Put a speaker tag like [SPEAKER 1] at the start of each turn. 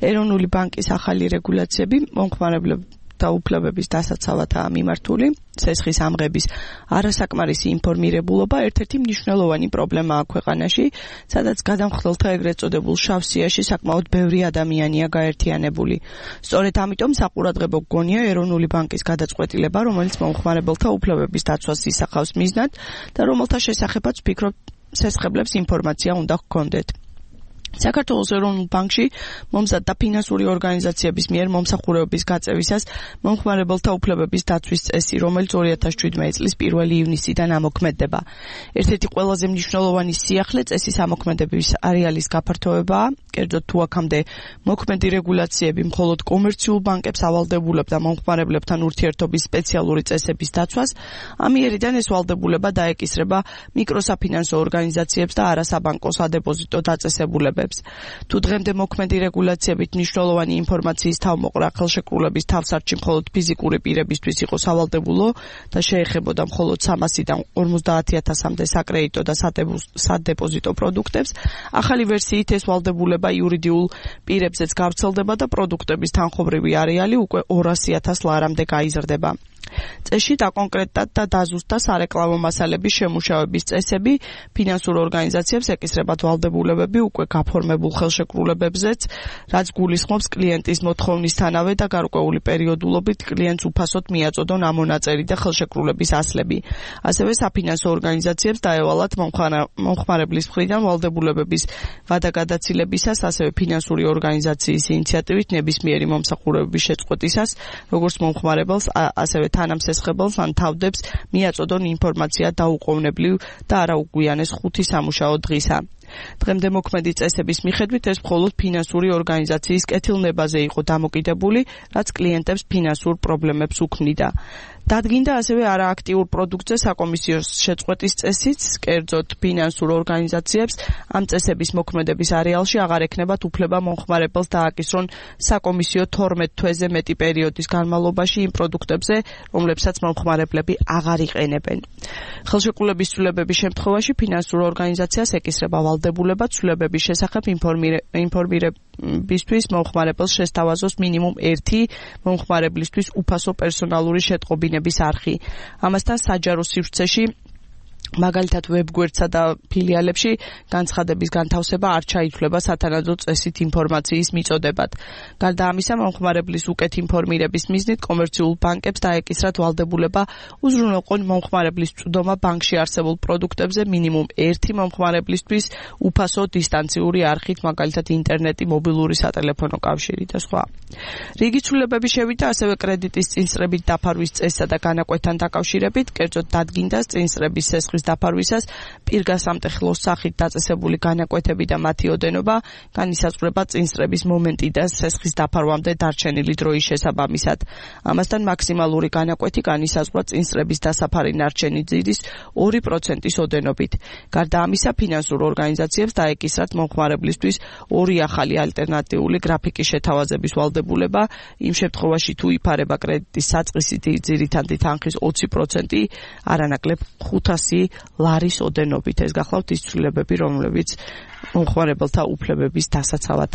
[SPEAKER 1] ეროვნული ბანკის ახალი რეგულაციები მომხმარებლთა უფლებების დასაცავადაა მიმართული. სესხის ამღების არასაკმარისი ინფორმირებულობა ერთ-ერთი მნიშვნელოვანი პრობლემაა ქვეყანაში, სადაც გადამხდელთა ეგრეთ წოდებულ შავ სიაში საკმაოდ ბევრი ადამიანია გაერთიანებული. სწორედ ამიტომ საყურადღებო გონია ეროვნული ბანკის გადაწყვეტილება, რომელიც მომხმარებელთა უფლებების დაცვას ისახავს მიზნად და რომელთა შესახებაც ვფიქრობ სესხებლებს ინფორმაცია უნდა ჰქონდეთ. საქართველოს ეროვნულ ბანკში მომზად და ფინანსური ორგანიზაციების მიერ მომსახურებების გაწევისას მომხმარებელთა უფლებების დაცვის წესი, რომელიც 2017 წლის 1 ივნისიდან ამოქმედდება. ერთ-ერთი ყველაზე მნიშვნელოვანი სიახლე წესის ამოქმედების არეალის გაფართოებაა, კერძოდ თუ აქამდე მოქმედი რეგულაციები მხოლოდ კომერციულ ბანკებს ავალდებულებდა მომხმარებლებთან ურთიერთობის სპეციალური წესების დაცვას, ამიერიდან ეს ვალდებულება დაეკისრება მიკროსაფინანსო ორგანიზაციებს და არასაბანკო სადეპოზიტო დაწესებულებებს. თუ დღემდე მოქმედი რეგულაციებით მნიშვნელოვანი ინფორმაციის თავმოყრა ხელშეკრულების თავსარჩი მხოლოდ ფიზიკური პირებისთვის იყო სავალდებულო და შეეხებოდა მხოლოდ 300-დან 50,000-მდე საკრედიტო და სადეპოზიტო პროდუქტებს, ახალი ვერსიით ეს ვალდებულება იურიდიულ პირებზეც გავრცელდება და პროდუქტების თანხმობრივი არეალი უკვე 200,000 ლარამდე გაიზრდება. წესში დაკონკრეტდა და დაზუსტდა სარეკლამო მასალების შემუშავების წესები, ფინანსურ ორგანიზაციებს ეკისრებათ ვალდებულებები უკვე გაფორმებულ ხელშეკრულებებზეც, რაც გულისხმობს კლიენტის მოთხოვნისთანავე და გარკვეული პერიოდულობით კლიენტს უფასოდ მიაწოდონ ამონაწერი და ხელშეკრულების ასლები. ასევე საფინანსო ორგანიზაციებს დაევალათ მომხმარებლის მხრიდან ვალდებულებების ვადაგადაცილებისას, ასევე ფინანსური ორგანიზაციის ინიციატივით ნებისმიერი მომსახურებების შეწყვეტისას, როგორც მომხმარებელს, ასევე თანამსესხებელს ან თავდებს მიაწოდონ ინფორმაცია დაუყოვნებლივ და არაუგვიანეს 5 სამუშაო დღისა. დღემდე მოქმედი წესების მიხედვით ეს მხოლოდ ფინანსური ორგანიზაციის კეთილნებაზე იყო დამოკიდებული, რაც კლიენტებს ფინანსურ პრობლემებს უქმნიდა. დადგინდა ასევე არააქტიურ პროდუქტზე საკომისიო შეწყვეტის წესიც, კერძოდ ფინანსურ ორგანიზაციებს ამ წესების მოქმედების არეალში აღარ ექნებათ უფლება მომხმარებელს დააკისრონ საკომისიო 12 თვეზე მეტი პერიოდის განმავლობაში იმ პროდუქტებზე, რომლებსაც მომხმარებლები აღარ იყენებენ. ხელშეკრულების ცვლილებების შემთხვევაში ფინანსურ ორგანიზაციას ეკისრება ვალდებულება ცვლილებების შესახებ ინფორმირებისთვის მომხმარებელს შესთავაზოს მინიმუმ 1 მომხმარებლისთვის უფასო პერსონალური შეტყობინების არხი. ამასთან საჯარო სივრცეში მაგალითად ვებგვერდსა და ფილიალებში განცხადების განთავსება არ ჩაითვლება სათანადო წესით ინფორმაციის მიწოდებად. გარდა ამისა, მომხმარებლის უკეთ ინფორმირების მიზნით კომერციულ ბანკებს დაეკისრათ ვალდებულება უზრუნველყონ მომხმარებლის წვდომა ბანკში არსებულ პროდუქტებზე მინიმუმ 1 მომხმარებლისთვის უფასო დისტანციური არხით, მაგალითად ინტერნეტი, მობილური სატელეფონო კავშირი და სხვა. რიგი ცვლილებები შევიდა ასევე კრედიტის წინსწრებით დაფარვის წესსა და განაკვეთთან დაკავშირებით, კერძოდ დადგინდა წინსწრების სესხის დაფარვისას პირგასამტეხლოს სახით დაწესებული განაკვეთები და მათი ოდენობა განისაზღვრება წინსწრების მომენტი და სესხის დაფარვამდე დარჩენილი დროის შესაბამისად. ამასთან მაქსიმალური განაკვეთი განისაზღვრა წინსწრების დასაფარი ნარჩენი ძირის 2%-ის ოდენობით. გარდა ამისა, ფინანსურ ორგანიზაციებს დაეკისრათ მომხმარებლისთვის 2 ახალი ალტერნატიული გრაფიკის შეთავაზების ვალდებულება, იმ შემთხვევაში თუ იფარება კრედიტის საწყისი ძირითადი თანხის 20%, არანაკლებ 500 ლარის ოდენობით. ეს გახლავთ ის ცვლილებები, რომლებიც მომხმარებელთა უფლებების დასაცავადაა.